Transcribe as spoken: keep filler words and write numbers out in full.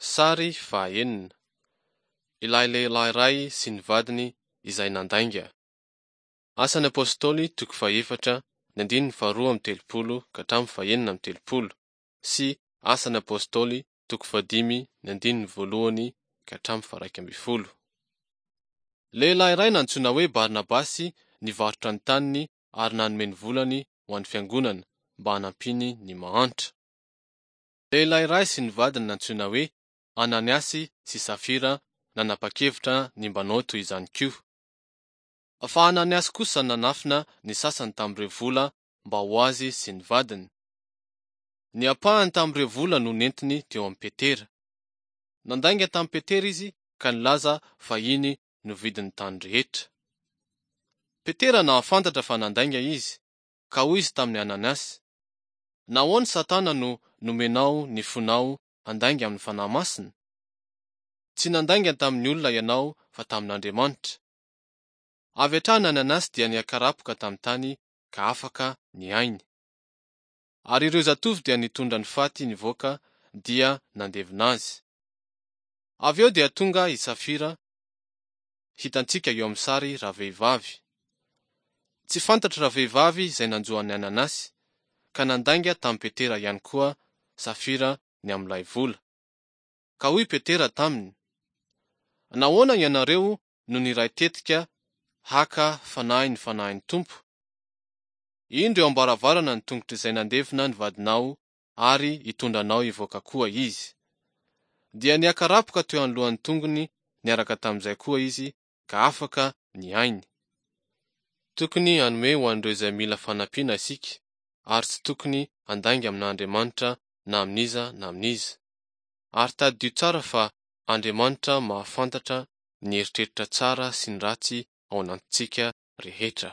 Sary fahaenina. Ilay lehilahy iray sy ny vadiny izay nandainga. Asan'ny Apostoly toko fahefatra ny andininy faharoa amby telopolo ka hatramin'ny fahenina amby telopolo sy Asan'ny Apostoly toko fahadimy ny andininy voalohany ka hatramin'ny faharaika ambin'ny folo. Lehilahy iray nantsoina hoe Barnabasy nivarotra ny taniny ary nanome ny volany ho an'ny fiangonana mba hanampiany ny mahantra. Lehilahy iray sy ny vadiny nantsoina hoe Ananiasy sy Safira nanapa-kevitra ny mba hanao toy izany koa. Fa Ananiasy kosa nanafina ny sasany tamin'ireo vola mba ho azy sy ny vadiny. Ny ampahany tamin'ireo vola no nentiny teo amin'i Petera. Nandainga tamin'i Petera izy ka nilaza fa iny no vidin'ny tany rehetra. Petera nahafantatra fa nandainga izy, ka hoy izy tamin'i Ananiasy: Nahoana Satana no nomenao ny fonao handainga amin'ny Fanahy Masina? Tsy nandainga tamin'ny olona ianao fa tamin'Andriamanitra. Avy hatrany Ananiasy dia niakarapoka tamin'ny tany ka afaka ny ainy. Ary ireo zatovo dia nitondra ny faty nivoaka dia nandevina azy. Avy eo dia tonga i Safira, hitantsika eo amin'ny sary ravehivavy. Tsy fantatro ravehivavy izay nanjo an'i Ananiasy, ka nandainga tamin'i Petera ihany koa Safira ny amin'ilay vola. Ka hoy Petera taminy: Nahoana ianareo no niray tetika haka fanahy ny fanahin'ny Tompo? Indro eo am-baravarana ny tongotr'izay nandevina ny vadinao ary hitondra anao hivoaka koa izy. Dia niakarapoka teo anoloan'ny tongony niaraka tamin'izay koa izy ka afaka ny ainy. Tokony hanome ho an'ireo izay mila fanampiana isika ary tsy tokony handainga amin'Andriamanitra na amin'iza na amin'iza. Ary tadidio tsara fa Andriamanitra mahafantatra ny eritreritra tsara sy ny ratsy ao anatintsika rehetra.